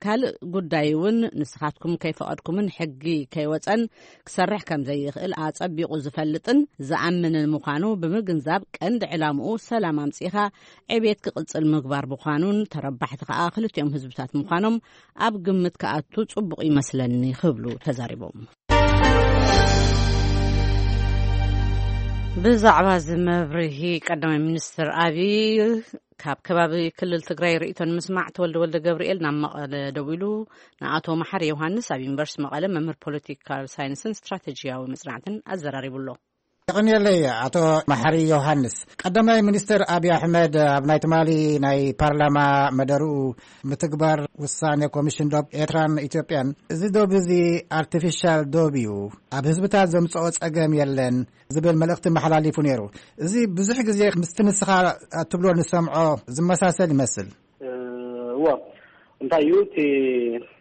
ካልእ ጉዳይ እውን ንስኻትኩም ከይፈቐድኩምን ሕጊ ከይወጸን ክሰርሕ ከም ዘይኽእል ኣጸቢቑ ዝፈልጥን ዝኣምንን ምዃኑ ብምግንዛብ ቀንዲ ዕላምኡ ሰላም ኣምጺእኻ ዕብየት ክቕጽል ምግባር ምዃኑን ተረባሕቲ ከኣ ክልቲኦም ህዝብታት ምዃኖም ኣብ ግምት ክኣቱ ጽቡቕ ይመስለኒ ክብሉ ተዛሪቦም። ብዛዕባ እዚ መብርሂ ቀዳማይ ሚኒስትር ኣብይ ካብ ከባቢ ክልል ትግራይ ርእይቶ ንምስማዕ ተወልደ ወልደ ገብርኤል ናብ መቐለ ደዊሉ ንኣቶ መሓሪ ዮሃንስ ኣብ ዩኒቨርሲቲ መቐለ መምህር ፖለቲካል ሳይንስን ስትራቴጂያዊ መጽናዕትን ኣዘራሪቡ ኣሎ። የቐንየለይ ኣቶ መሓሪ ዮሃንስ። ቀዳማይ ሚኒስትር ኣብይ ኣሕመድ ኣብ ናይ ትማሊ ናይ ፓርላማ መደርኡ ምትግባር ውሳኔ ኮሚሽን ዶብ ኤርትራን ኢትዮጵያን፣ እዚ ዶብ እዚ ኣርቲፊሻል ዶብ እዩ፣ ኣብ ህዝብታት ዘምጽኦ ጸገም የለን ዝብል መልእኽቲ መሓላሊፉ ነይሩ። እዚ ብዙሕ ግዜ ምስቲ ንስኻ እትብሎ ንሰምዖ ዝመሳሰል ይመስል። እዎ፣ እንታይ እዩ እቲ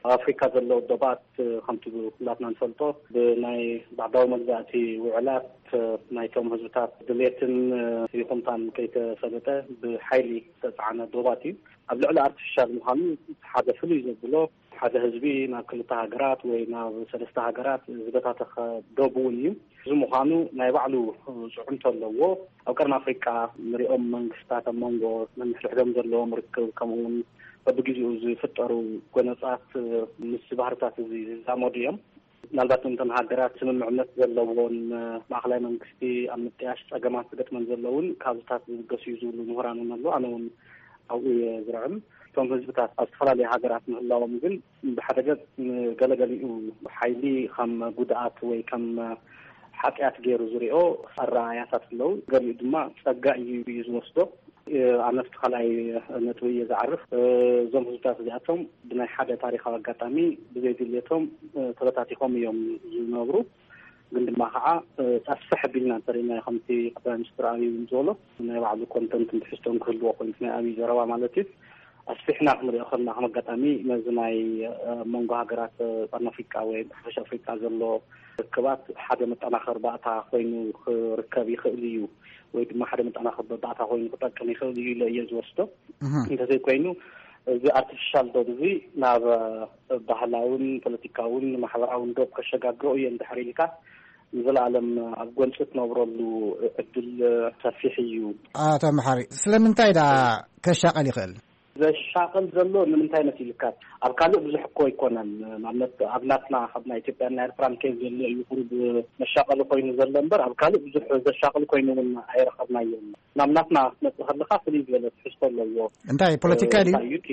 ኣብ ኣፍሪካ ዘሎ ዶባት፣ ከምቲ ኩላትና ንፈልጦ ብናይ ባዕዳዊ መግዛእቲ ውዕላት ናይቶም ህዝብታት ድሌትን ይኹንታን ከይተፈለጠ ብሓይሊ ዝተፃዕነ ዶባት እዩ። ኣብ ልዕሊ ኣርቲፊሻል ምዃኑ ሓደ ፍሉይ ዘብሎ ሓደ ህዝቢ ናብ ክልተ ሃገራት ወይ ናብ ሰለስተ ሃገራት ዝበታተኸ ዶብ እውን እዩ። እዚ ምዃኑ ናይ ባዕሉ ፅዕንቶ ኣለዎ። ኣብ ቀርኒ ኣፍሪቃ ንሪኦም መንግስታት ኣብ መንጎ ነንሕድሕዶም ዘለዎም ርክብ ከምኡ እውን በብግዜኡ ዝፍጠሩ ጎነፃት ምስ ባህርታት እዚ ዝዛመዱ እዮም። ምናልባት እንተን ሃገራት ስምምዕነት ዘለዎን ማእኸላይ መንግስቲ ኣብ ምጥያሽ ፀገማት ዝገጥመን ዘለውን ካብዚታት ዝብገሱ እዩ ዝብሉ ምሁራን እውን ኣለዉ። ኣነ እውን ኣብኡ እየ ዝርዕም። እቶም ህዝብታት ኣብ ዝተፈላለዩ ሃገራት ምህላዎም ግን ብሓደ ገፅ ንገለገሊኡ ሓይሊ ከም ጉድኣት ወይ ከም ሓጢኣት ገይሩ ዝሪኦ ኣረኣያታት ኣለዉ። ገሊኡ ድማ ጸጋ እዩ እዩ ዝወስዶ። ኣነ ኣብቲ ካልኣይ ነጥቢ እየ ዝዓርፍ። እዞም ህዝብታት እዚኣቶም ብናይ ሓደ ታሪኻዊ ኣጋጣሚ ብዘይ ድልየቶም ተበታቲኾም እዮም ዝነብሩ። ግን ድማ ከዓ ኣስፍሕ ኣቢልና እንተሪእናዮ ከምቲ ቀዳማይ ሚኒስትር ኣብይ እውን ዝበሎ ናይ ባዕሉ ኮንተንትን ትሕዝቶን ክህልዎ ኮይኑ ናይ ኣብይ ዘረባ ማለት እዩ። ኣስፊሕና ክንሪኦ ከለና ከም ኣጋጣሚ ነዚ ናይ መንጎ ሃገራት ቀርኒ ኣፍሪቃ ወይ ሓፈሻ ኣፍሪቃ ዘሎ ርክባት ሓደ መጠናኸሪ ባእታ ኮይኑ ክርከብ ይኽእል እዩ ወይ ድማ ሓደ መጠናኸሪ ባእታ ኮይኑ ክጠቅም ይኽእል እዩ ኢለ እየ ዝወስዶ። እንተዘይኮይኑ እዚ ኣርቲፊሻል ዶብ እዚ ናብ ባህላውን ፖለቲካውን ማሕበራውን ዶብ ከሸጋግሮ እየ እንድሕር ኢልካ ንዘለኣለም ኣብ ጎንፂ ትነብረሉ ዕድል ሰፊሕ እዩ። ኣቶ መሓሪ፣ ስለምንታይ ደኣ ከሻቐል ይኽእል? ዘሻቕል ዘሎ ንምንታይ መሲልካ? ኣብ ካልእ ብዙሕ እኮ ኣይኮነን። ንኣብነት ኣብ ናትና ካብ ናይ ኢትዮጵያን ናይ ኤርትራን ኬዝ ዘሎ እዩ ቁሩብ መሻቐሊ ኮይኑ ዘሎ እምበር ኣብ ካልእ ብዙሕ ዘሻቕል ኮይኑ እውን ኣይረኸብናዮን። ናብ ናትና ክትመጽእ ከለኻ ፍልይ ዝበለ ትሕዝቶ ኣለዎ። እንታይ ፖለቲካ ድዩ? እንታይ እዩ እቲ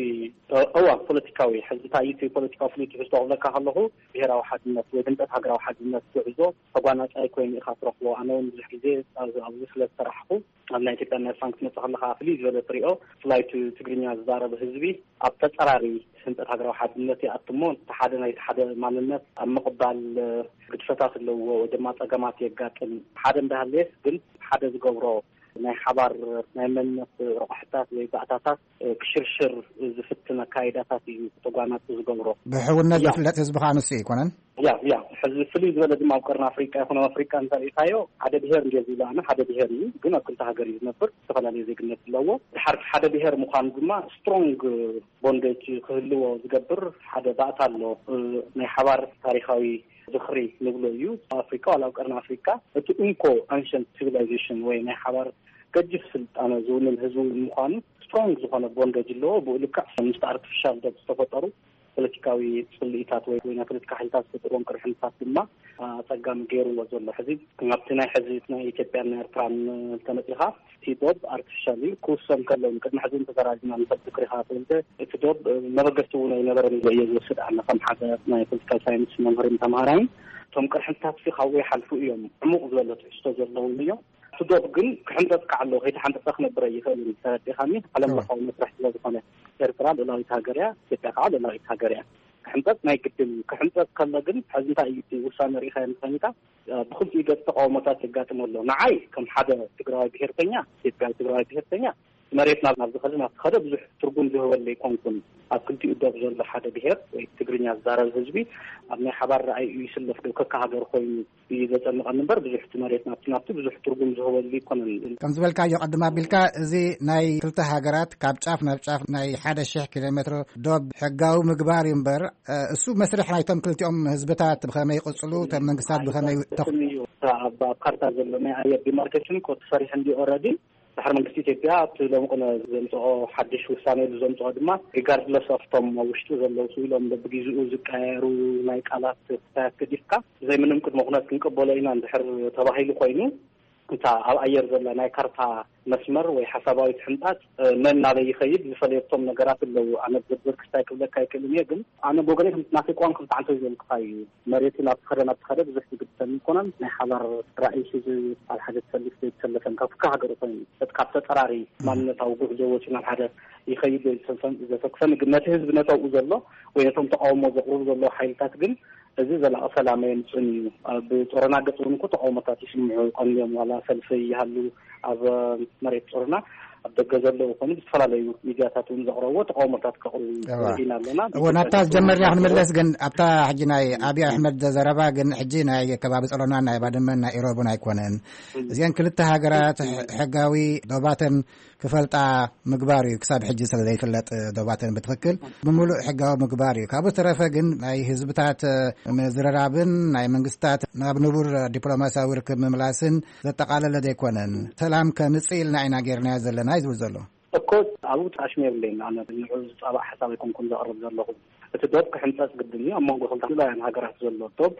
እዋ ፖለቲካዊ ሕዚ እንታይ እዩ እቲ ፖለቲካዊ ፍሉይ ትሕዝቶ ክብለካ ከለኹ ብሄራዊ ሓድነት ወይ ድምጠት ሃገራዊ ሓድነት ጉዕዞ ተጓናጻይ ኮይኑ ኢኻ ትረኽቦ። ኣነ እውን ብዙሕ ግዜ ኣብዚ ኣብዚ ስለ ዝተራሕኹ ኣብ ናይ ኢትዮጵያ ናይ ኤርትራን ክትመጽእ ከለኻ ፍልይ ዝበለ ትሪኦ ብፍላይ እቲ ትግርኛ ዝዛረብ ህዝቢ ኣብ ተጸራሪ ህንጸት ሃገራዊ ሓድነት ይኣትሞ። እቲ ሓደ ናይቲ ሓደ ማንነት ኣብ ምቕባል ግድፈታት ኣለዎ ወይ ድማ ጸገማት የጋጥም። ሓደ እንዳሃለየስ ግን ሓደ ዝገብሮ ናይ ሓባር ናይ መንነት ረቑሕታት ወይ ባእታታት ክሽርሽር ዝፍትን ኣካይዳታት እዩ ተጓናጽ ዝገብሮ። ብሕውነት ዝፍለጥ ህዝቢ ከዓ ንሱ ኣይኮነን። ያ ያ ሕዚ ፍልይ ዝበለ ድማ ኣብ ቀርኒ ኣፍሪቃ ይኹን ኣብ ኣፍሪቃ እንተሪኢካዮ ሓደ ብሄር እንዲዮ ዝብሎ ኣነ ሓደ ብሄር እዩ፣ ግን ኣብ ክልተ ሃገር እዩ ዝነብር፣ ዝተፈላለየ ዜግነት ኣለዎ። ድሓር ሓደ ብሄር ምዃኑ ድማ ስትሮንግ ቦንዴጅ ክህልዎ ዝገብር ሓደ ባእታ ኣሎ። ናይ ሓባር ታሪኻዊ ዝኽሪ ንብሎ እዩ። ኣብ ኣፍሪካ ዋላ ኣብ ቀርኒ ኣፍሪካ እቲ እንኮ ኣንሸንት ሲቪላይዜሽን ወይ ናይ ሓባር ገጅፍ ስልጣነ ዝውንን ህዝቢ ምዃኑ ስትሮንግ ዝኾነ ቦንዴጅ ኣለዎ። ብኡ ልክዕ ምስቲ ኣርቲፊሻል ዶብ ዝተፈጠሩ ፖለቲካዊ ፅልኢታት ወይ ወይ ናይ ፖለቲካ ሓይልታት ዝፈጥርዎም ቅርሕንታት ድማ ኣፀጋሚ ገይርዎ ዘሎ። ሕዚ ኣብቲ ናይ ሕዚ ናይ ኢትዮጵያን ናይ ኤርትራን እንተመፂኻ እቲ ዶብ ኣርቲፊሻል እዩ ክውሰን ከሎ ቅድሚ ሕዚ እንተተራዚና ንሰብ ዝክሪኻ ተወልደ እቲ ዶብ መበገስቲ እውን ኣይነበረን ኢለ እየ ዝወስድ ኣነ ከም ሓደ ናይ ፖለቲካል ሳይንስ መምህርን ተምሃራይን። እቶም ቅርሕንታት ሲ ካብኡ ይሓልፉ እዮም። ዕሙቕ ዝበለ ትሕዝቶ ዘለዎም እዮም። እቲ ዶብ ግን ክሕንጠጥ ከዓ ኣለዎ። ከይተሓንጠጠ ክነብር ኣይኽእልን። ተረዲኻኒ? ዓለም ለኻዊ መስርሕ ስለ ዝኾነ ኤርትራ ልእላዊት ሃገር እያ፣ ኢትዮጵያ ከዓ ልእላዊት ሃገር እያ። ክሕንጠጥ ናይ ግድን እዩ። ክሕንጠጥ ከሎ ግን ሕዚ እንታይ እዩ እቲ ውሳነ ርኢኻዮ እንተኾይንካ ብክልቲኡ ገፅ ተቃውሞታት የጋጥም ኣሎ። ንዓይ ከም ሓደ ትግራዋይ ብሄርተኛ፣ ኢትዮጵያዊ ትግራዋይ ብሄርተኛ መሬት ናብ ናብ ዝኸደ ናብ ዝኸደ ብዙሕ ትርጉም ዝህበሉ ኣይኮንኩን። ኣብ ክልቲኡ ዶብ ዘሎ ሓደ ብሄር ወይ ትግርኛ ዝዛረብ ህዝቢ ኣብ ናይ ሓባር ረኣይ እዩ ይስለፍ ዶ ከካ ሃገር ኮይኑ እዩ ዘጨንቐኒ እምበር ብዙሕ እቲ መሬት ናብቲ ናብቲ ብዙሕ ትርጉም ዝህበሉ ኣይኮነን። ከም ዝበልካዮ ቅድም ኣቢልካ እዚ ናይ ክልተ ሃገራት ካብ ጫፍ ናብ ጫፍ ናይ ሓደ ሽሕ ኪሎ ሜትሮ ዶብ ሕጋዊ ምግባር እዩ እምበር እሱ መስርሕ ናይቶም ክልቲኦም ህዝብታት ብኸመይ ይቕፅሉ እቶም መንግስታት ብኸመይ ተኽ- እዩ ኣብ ኣብ ካርታ ዘሎ ናይ ኣየር ዲማርኬሽን ኮ ተሰሪሑ እንዲ ኦረዲ ድሕሪ መንግስቲ ኢትዮጵያ ኣብቲ ሎሚ ቅነ ዘምፅኦ ሓድሽ ውሳነ ኢሉ ዘምፅኦ ድማ ሪጋርድለስ ኦፍ ቶም ኣብ ውሽጡ ዘለዉ ስኢሎም በብግዜኡ ዝቀያየሩ ናይ ቃላት ክታያት ገዲፍካ ብዘይ ምንም ቅድመ ኩነት ክንቀበሎ ኢና እንድሕር ተባሂሉ ኮይኑ እታ ኣብ ኣየር ዘላ ናይ ካርታ መስመር ወይ ሓሳባዊት ሕንጣት መን ናበይ ይኸይድ ዝፈለየቶም ነገራት ኣለዉ። ኣነ ብዝርዝር ክስታይ ክብለካ ኣይክእልን እየ፣ ግን ኣነ ብወገነይ ከም ናተይ ቅዋም ከም ተዓንቶ ዝበልኩካ እዩ። መሬቱ ናብ ትኸደ ናብ ትኸደ ብዙሕ ዝግድሰን ይኮነን ናይ ሓባር ራእይ ሒዙ ኣብ ሓደ ትሰልፍ ዘይተሰለፈን ካብ ክልተ ሃገር ኮይኑ እቲ ካብ ተጠራሪ ማንነታዊ ጉዕዞ ወፂኡ ናብ ሓደ ይኸይድ ዘሰክፈን ግን ነቲ ህዝቢ ነተብኡ ዘሎ ወይ ነቶም ተቃውሞ ዘቅርቡ ዘለዉ ሓይልታት ግን እዚ ዘላቂ ሰላም የምፅን እዩ። ኣብ ጾረና ገፅ እውን እኮ ተቃውሞታት ይስምዑ ቀንዮም ዋላ ሰልፊ ይሃሉ ኣብ መሬት ጾረና ኣብ ደገ ዘለዉ ኮኑ ብዝተፈላለዩ ሚድያታት እውን ዘቕረብዎ ተቃውሞታት ከቕርቡ ኢና ኣለና። እዎ ናብታ ዝጀመርና ክንምለስ ግን ኣብታ ሕጂ ናይ ኣብይ ኣሕመድ ዘረባ ግን ሕጂ ናይ ከባቢ ጸሎናን ናይ ባድመን ናይ ኢሮብን ኣይኮነን። እዚአን ክልተ ሃገራት ሕጋዊ ዶባተን ክፈልጣ ምግባር እዩ። ክሳብ ሕጂ ስለ ዘይፍለጥ ዶባተን ብትኽክል ብምሉእ ሕጋዊ ምግባር እዩ። ካብኡ ዝተረፈ ግን ናይ ህዝብታት ምዝርራብን ናይ መንግስታት ናብ ንቡር ዲፕሎማሲያዊ ርክብ ምምላስን ዘጠቓለለ ዘይኮነን። ሰላም ከምፅእ ኢልና ኢና ጌርናዮ ዘለና እዩ ዝብል ዘሎ። እኮ ኣብኡ ጣሽሚ የብለይን። ኣነ ንዑ ዝፃባእ ሓሳብ ኣይኮንኩን ዘቕርብ ዘለኹ። እቲ ዶብ ክሕንፀፅ ግድን እዩ። ኣብ መንጎ ክልተ ልኡላውያን ሃገራት ዘሎ ዶብ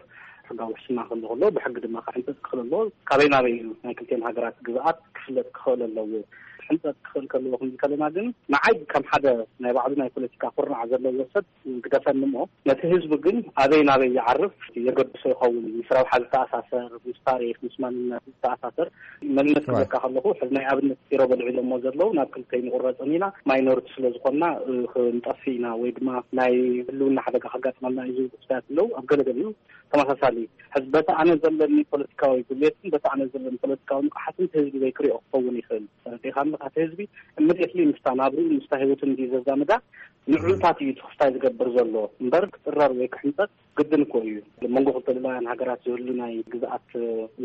ሕጋዊ ውሕስና ክህሉ ከሎ ብሕጊ ድማ ክሕንፀፅ ክኽእል ኣለዎ። ካበይ ናበይ እዩ ናይ ክልቲኤን ሃገራት ግዝኣት ክፍለጥ ክኽእል ኣለዎ። ክሕንፀፅ ክኽእል ከለዎ ክንብል ከለና ግን ንዓይ ከም ሓደ ናይ ባዕሉ ናይ ፖለቲካ ኩርናዕ ዘለዎ ሰብ ግደፈኒ እሞ ነቲ ህዝቢ ግን ኣበይ ናበይ ይዓርፍ የገድሶ ይኸውን። ምስ ረብሓ ዝተኣሳሰር፣ ምስ ታሪኽ፣ ምስ ማንነት ዝተኣሳሰር መንነት ክብለካ ከለኹ ሕዚ ናይ ኣብነት ኢሮብ ኣልዒሎሞ ዘለዉ ናብ ክልተ ኣይንቑረፅን ኢና ማይኖሪቲ ስለ ዝኾንና ክንጠፍእ ኢና ወይ ድማ ናይ ህልውና ሓደጋ ከጋጥመና እዩ ዝብሉ ክስታያት ኣለዉ። ኣብ ገለገሊኡ ተመሳሳሊ ሕዚ በቲ ኣነ ዘለኒ ፖለቲካዊ ድሌትን በቲ ኣነ ዘለኒ ፖለቲካዊ ንቕሓትን እቲ ህዝቢ ዘይክሪኦ ክኸውን ይኽእል። ተረዲእካ እምበኣር እቲ ህዝቢ እምድየትሊ ምስታ ናብርኡ ምስታ ህይወትን እንዲ ዘዛምዳ ንዕኡታት እዩ እቲ ክስታይ ዝገብር ዘሎ እምበር ክፅረር ወይ ክሕንፀጥ ግድን እኮ እዩ። መንጎ ክልተ ልኡላውያን ሃገራት ዝህሉ ናይ ግዝኣት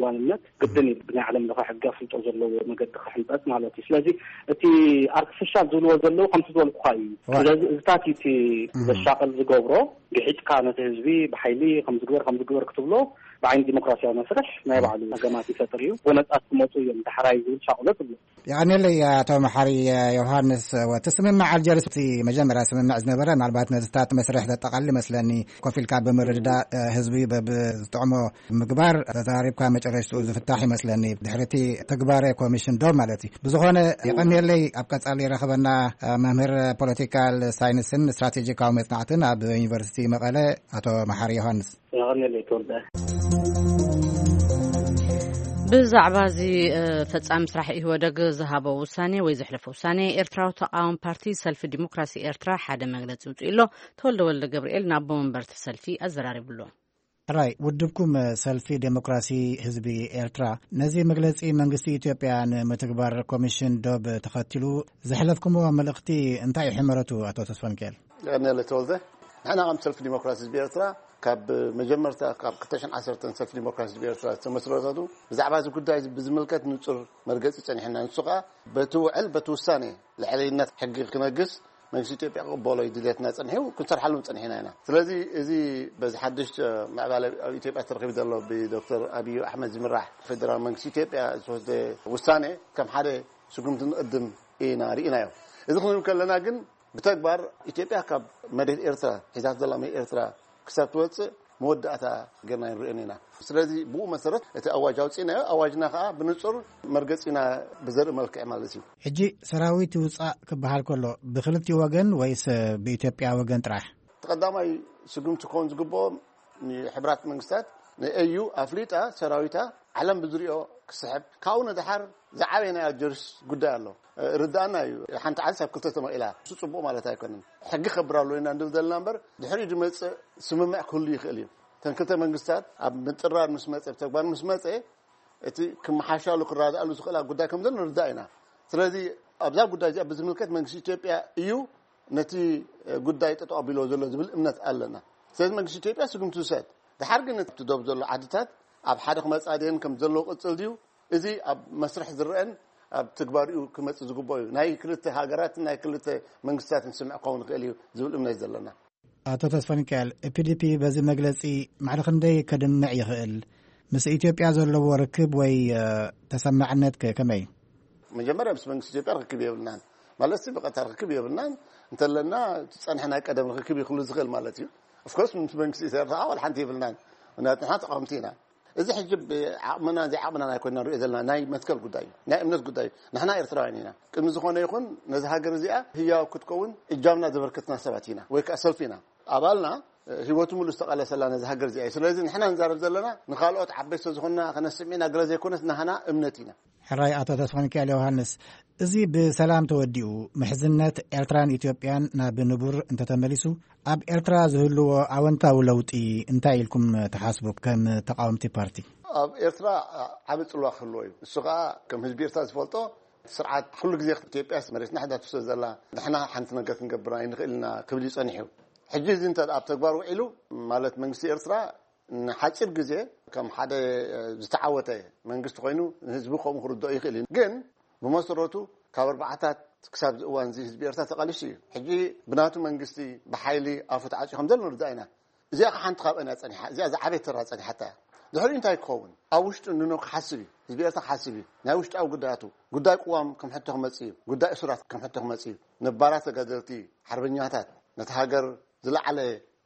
ዋንነት ግድን እዩ ብናይ ዓለም ለኸ ሕጊ ኣፍልጦ ዘለዎ መገዲ ክሕንፀፅ ማለት እዩ። ስለዚ እቲ ኣርቲፊሻል ዝብልዎ ዘለዉ ከምቲ ዝበልኩኻ እዩ። ስለዚ እዚታት እዩ እቲ ዘሻቕል ዝገብሮ። ግሒጥካ ነቲ ህዝቢ ብሓይሊ ከምዝግበር ከምዝግበር ክትብሎ ብዓይኒ ዲሞክራሲያዊ መስርሕ ናይ ባዕሉ ገማት ይፈጥር እዩ። ጎነፃት ክመፁ እዮም ዳሕራይ ዝብል ሻቕሎት ኣሎ። የቐንየለይ ኣቶ መሓሪ ዮሃንስ። እቲ ስምምዕ ኣልጀርስ እቲ መጀመርያ ስምምዕ ዝነበረ ምናልባት ነዚታት መስርሕ ዘጠቓልል ይመስለኒ። ኮፍ ኢልካ ብምርድዳእ ህዝቢ በብዝጥዕሞ ምግባር ተዛሪብካ መጨረሽትኡ ዝፍታሕ ይመስለኒ። ድሕሪ እቲ ትግባረ ኮሚሽን ዶ ማለት እዩ። ብዝኾነ የቐንየለይ ኣብ ቀጻሊ ይረኽበና መምህር ፖለቲካል ሳይንስን ስትራቴጂካዊ መጽናዕትን ኣብ ዩኒቨርሲቲ መቐለ ኣቶ መሓሪ ዮሃንስ። የቐንየለይ ተወልደ። ብዛዕባ እዚ ፈጻሚ ስራሕ ኢህወደግ ዝሃቦ ውሳኔ ወይ ዘሕለፎ ውሳኔ፣ ኤርትራዊ ተቃዋሚ ፓርቲ ሰልፊ ዲሞክራሲ ኤርትራ ሓደ መግለጺ ውጽኡ ኣሎ። ተወልደ ወልደ ገብርኤል ናብ ኣቦ መንበርቲ ሰልፊ ኣዘራሪብሎ። ሕራይ ውድብኩም ሰልፊ ዴሞክራሲ ህዝቢ ኤርትራ፣ ነዚ መግለጺ መንግስቲ ኢትዮጵያ ንምትግባር ኮሚሽን ዶብ ተኸቲሉ ዘሕለፍኩምዎ መልእኽቲ እንታይ እዩ ሕመረቱ? ኣቶ ተስፋሚካኤል። ቀነለ ተወልደ። ንሕና ከም ሰልፊ ዲሞክራሲ ህዝቢ ኤርትራ፣ ካብ መጀመርታ ካብ ክልተ ሽሕን ዓሰርተን ሰልፊ ዲሞክራሲ ህዝቢ ኤርትራ ዝተመስረተቱ፣ ብዛዕባ እዚ ጉዳይ እዚ ብዝምልከት ንጹር መርገጺ ጸኒሕና። ንሱ ከኣ በቲ ውዕል በቲ ውሳኔ ልዕልነት ሕጊ ክነግስ መንግስቲ ኢትዮጵያ ክቕበሎ እዩ ድሌትና ጸኒሑ፣ ክንሰርሓሉ ጸኒሕና ኢና። ስለዚ እዚ በዚ ሓድሽ ምዕባለ ኣብ ኢትዮጵያ ተረኺቡ ዘሎ ብዶክተር ኣብዩ ኣሕመድ ዝምራሕ ፌደራል መንግስቲ ኢትዮጵያ ዝተወስደ ውሳኔ ከም ሓደ ስጉምቲ ንቕድም ኢና ርኢናዮ። እዚ ክንብል ከለና ግን ብተግባር ኢትዮጵያ ካብ መሬት ኤርትራ ሒዛት ዘላ መሬት ኤርትራ ክሳብ ትወጽእ መወዳእታ ጌርና ንርእየን ኢና። ስለዚ ብኡ መሰረት እቲ ኣዋጅ ኣውጺእናዮ፣ ኣዋጅና ከኣ ብንጹር መርገጺና ብዘርኢ መልክዕ ማለት እዩ። ሕጂ ሰራዊት ይውጻእ ክበሃል ከሎ ብክልቲኡ ወገን ወይስ ብኢትዮጵያ ወገን ጥራሕ? እቲ ቀዳማይ ስጉምቲ ክኸውን ዝግብኦ ንሕቡራት መንግስታት ንኤዩ ኣፍሊጣ ሰራዊታ ዓለም ብዝሪኦ ክስሕብ፣ ካብኡ ንደሓር ዝዓበየ ናይ ኣልጀርስ ጉዳይ ኣሎ። ርዳእና እዩ። ሓንቲ ዓንስ ኣብ ክልተ ተመቒላ፣ እሱ ጽቡቕ ማለት ኣይኮነን። ሕጊ ከብር ኣሎ ኢና እንድል ዘለና እምበር፣ ድሕሪኡ ዝመጽእ ስምምዕ ክህሉ ይኽእል እዩ። እተን ክልተ መንግስታት ኣብ ምጥራር ምስ መጸ፣ ብተግባር ምስ መጸ፣ እቲ ክመሓሻሉ ክረዳኣሉ ዝኽእላ ጉዳይ ከም ዘሎ ንርዳእ ኢና። ስለዚ ኣብዛ ጉዳይ እዚኣ ብዝምልከት መንግስቲ ኢትዮጵያ እዩ ነቲ ጉዳይ ጠጠው ኣቢሎ ዘሎ ዝብል እምነት ኣለና። ስለዚ መንግስቲ ኢትዮጵያ ስጉምቲ ዝውሰድ። ድሓር ግን እቲ ዶብ ዘሎ ዓድታት ኣብ ሓደ ክመጻ ድየን ከም ዘለዎ ቅጽል ድዩ? እዚ ኣብ መስርሕ ዝረአን ኣብ ትግባሪኡ ክመጽእ ዝግብኦ እዩ። ናይ ክልተ ሃገራትን ናይ ክልተ መንግስታትን ስምዕ ክኸውን ይኽእል እዩ ዝብል እምነት እዩ ዘለና። ኣቶ ተስፋ ሚካኤል፣ ፒዲፒ በዚ መግለጺ ማዕረ ክንደይ ከድምዕ ይኽእል? ምስ ኢትዮጵያ ዘለዎ ርክብ ወይ፣ እ፣ ተሰማዕነት ከ ከመይ? መጀመርያ ምስ መንግስቲ ኢትዮጵያ ርክብ የብልናን። ማለት ሲ ብቐጥታ ርክብ የብልናን። እንተለና እቲ ጸንሐ ናይ ቀደም ርክብ ይኽሉ ዝኽእል ማለት እዩ። ኦፍኮርስ ምስ መንግስቲ ኢትዮጵያ ዋላ ሓንቲ የብልናን። ምክንያቱ ንሕና ተቃወምቲ ኢና። እዚ ሕጂ ብዓቕምና ዘይዓቕምና ኣይኮንና ንሪኦ ዘለና ናይ መትከል ጉዳይ እዩ። ናይ እምነት ጉዳይ እዩ። ንሕና ኤርትራውያን ኢና። ቅድሚ ዝኾነ ይኹን ነዚ ሃገር እዚኣ ህያው ክትከውን እጃምና ዘበርክትና ሰባት ኢና ወይ ከዓ ሰልፊ ኢና። ኣባልና ህይወቱ ሙሉ ዝተቓለሰላ ነዚ ሃገር እዚኣ እዩ። ስለዚ ንሕና ንዛረብ ዘለና ንኻልኦት ዓበይቲ ዝኾንና ከነስምዕ ኢና ገለ ዘይኮነስ ናህና እምነት ኢና። ሕራይ ኣቶ ተስፋ ሚካኤል ዮሃንስ፣ እዚ ብሰላም ተወዲኡ ምሕዝነት ኤርትራን ኢትዮጵያን ናብ ንቡር እንተተመሊሱ ኣብ ኤርትራ ዝህልዎ ኣወንታዊ ለውጢ እንታይ ኢልኩም ትሓስቡ ከም ተቃወምቲ ፓርቲ? ኣብ ኤርትራ ዓቢ ጽልዋ ክህልዎ እዩ። እሱ ከኣ ከም ህዝቢ ኤርትራ ዝፈልጦ ስርዓት ኩሉ ግዜ ኢትዮጵያ መሬትና ሕዳቱ ስለ ዘላ ንሕና ሓንቲ ነገር ክንገብር ኣይንኽእል ኢና ክብል እዩ ጸኒሑ። ሕጂ እዚ እንተ ኣብ ተግባር ውዒሉ ማለት መንግስቲ ኤርትራ ንሓጺር ግዜ ከም ሓደ ዝተዓወተ መንግስቲ ኮይኑ ንህዝቢ ከምኡ ክርድኦ ይኽእል እዩ። ግን ብመሰረቱ ካብ ኣርባዓታት ክሳብ እዚ እዋን እዚ ህዝቢ ኤርትራ ተቓሊሱ እዩ። ሕጂ ብናቱ መንግስቲ ብሓይሊ ኣፉ ተዓጽዩ ከም ዘሎ ንርዳእ ኢና። እዚኣ ከ ሓንቲ ካብአን እያ ጸኒሓ፣ እዚኣ ዝዓበየት ተራ ጸኒሓታ እያ። ድሕሪኡ እንታይ ክኸውን? ኣብ ውሽጡ ንኖ ክሓስብ እዩ፣ ህዝቢ ኤርትራ ክሓስብ እዩ። ናይ ውሽጣዊ ጉዳያቱ፣ ጉዳይ ቅዋም ከም ሕቶ ክመጽእ እዩ፣ ጉዳይ እሱራት ከም ሕቶ ክመጽእ እዩ። ነባራት ተጋደልቲ፣ ሓርበኛታት፣ ነቲ ሃገር ዝለዓለ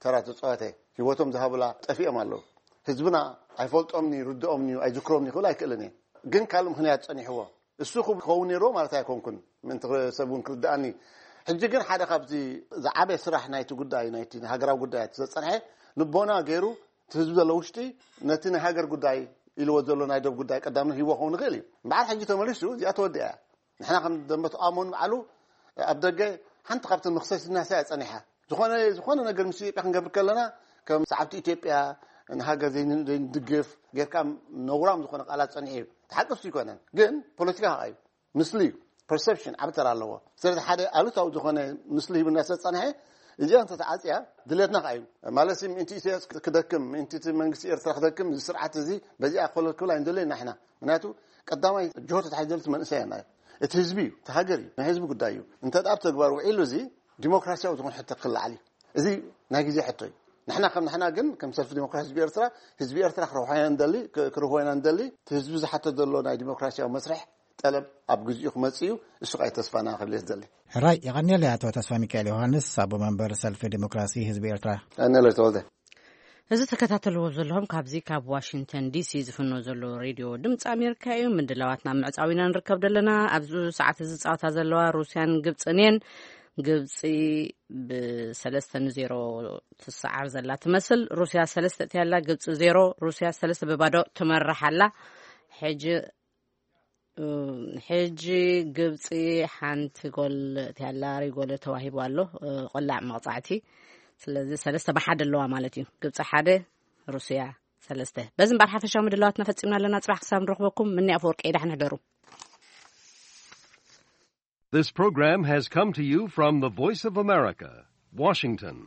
ተራ ተጻወተ፣ ህይወቶም ዝሃቡላ ጠፊኦም ኣለዉ። ህዝብና ኣይፈልጦምኒ፣ ይርድኦምኒ፣ ኣይዝክሮምኒ ክብል ኣይክእልን እየ። ግን ካልእ ምኽንያት ጸኒሕዎ። እሱ ክኸውን ነይርዎ ማለት ኣይኮንኩን፣ ምእንቲ ሰብ እውን ክርድኣኒ። ሕጂ ግን ሓደ ካብዚ ዝዓበየ ስራሕ ናይቲ ጉዳይ፣ ናይቲ ሃገራዊ ጉዳያት ዘጸንሐ ልቦና ገይሩ፣ እቲ ህዝቢ ዘሎ ውሽጢ ነቲ ናይ ሃገር ጉዳይ ኢልዎ ዘሎ ናይ ዶብ ጉዳይ ቀዳምነት ሂቦ ክኸውን ይኽእል እዩ። እምበኣር ሕጂ ተመሊሱ፣ እዚኣ ተወዲኣ እያ። ንሕና ከም ደንበ ተቓውሞ ንባዕሉ ኣብ ደገ ሓንቲ ካብተን መኽሰሲትና እያ ጸኒሓ። ዝኾነ፣ ዝኾነ ነገር ምስ ኢትዮጵያ ክንገብር ከለና ከም ሰዓብቲ ኢትዮጵያ ንሃገር ዘይን-፣ ዘይንድግፍ ጌርካ ነውራም ዝኾነ ቃላት ጸኒሑ እዩ። እቲ ሓቂ እሱ ኣይኮነን፣ ግን ፖለቲካ ከኣ እዩ። ምስሊ እዩ። ፐርሰፕሽን ዓቢ ተራ ኣለዎ። ስለዚ ሓደ ኣሉታዊ ዝኾነ ምስሊ ሂቡና ስለ ዝጸንሐ፣ እዚኣ እንተተዓጽያ ድሌትና ከኣ እዩ። ማለት ሲ ምእንቲ ኢሳያስ ክደክም፣ ምእንቲ እቲ መንግስቲ ኤርትራ ክደክም፣ እዚ ስርዓት እዚ በዚኣ ኮለል ክብል ኣይንደልዮን ኢና። ምኽንያቱ ቀዳማይ ጅሆ ተታሒዙ ዘሎ እቲ መንእሰያና እዩ። እቲ ህዝቢ እዩ፣ እቲ ሃገር እዩ፣ ናይ ህዝቢ ጉዳይ እዩ። እንተ ደኣ ኣብ ተግባር ውዒሉ እዚ ዲሞክራሲያዊ ዝኾነ ሕቶ ክለዓል እዩ። እዚ ናይ ግዜ ሕቶ እዩ። ንሕና ከም ንሕና ግን ከም ሰልፊ ዲሞክራሲ ህዝቢ ኤርትራ፣ ህዝቢ ኤርትራ ክረብሖ ኢና ንደሊ፣ ክ-፣ ክረብሖ ኢና ንደሊ። እቲ ህዝቢ ዝሓቶ ዘሎ ናይ ዲሞክራሲያዊ መስርሕ ጠለብ ኣብ ግዜኡ ክመጽእ እዩ። እሱ ከኣ ተስፋና ክብል እየ ዝደሊ። ሕራይ፣ የቐንየለይ ኣቶ ተስፋ ሚካኤል ዮሃንስ፣ ኣቦ መንበር ሰልፊ ዲሞክራሲ ህዝቢ ኤርትራ። የቐንየለይ ተወልደ። እዚ ተከታተልዎ ዘለኹም ካብዚ ካብ ዋሽንግተን ዲሲ ዝፍኖ ዘሎ ሬድዮ ድምፂ ኣሜሪካ እዩ። ምድላዋትና ምዕፃው ኢና ንርከብ ዘለና። ኣብዚ ሰዓት እዚ ዝፃወታ ዘለዋ ሩስያን ግብፅን እየን። ግብፂ ብሰለስተ ንዜሮ ትሰዓር ዘላ ትመስል። ሩስያ ሰለስተ እትያላ፣ ግብፂ ዜሮ። ሩስያ ሰለስተ ብባዶ ትመርሕ ኣላ። ሕጂ ሕጂ ግብፂ ሓንቲ ጎል እቲኣላ ሪጎል ተዋሂቡ ኣሎ። ቆላዕ መቕፃዕቲ። ስለዚ ሰለስተ ብሓደ ኣለዋ ማለት እዩ። ግብፂ ሓደ፣ ሩስያ ሰለስተ። በዚ እምበር ሓፈሻዊ ምድላዋትና ፈፂምና ኣለና። ፅባሕ ክሳብ ንረኽበኩም ምኒ ኣፈወርቂ፣ ዳሕን ሕደሩ። This program has come to you from the Voice of America, Washington.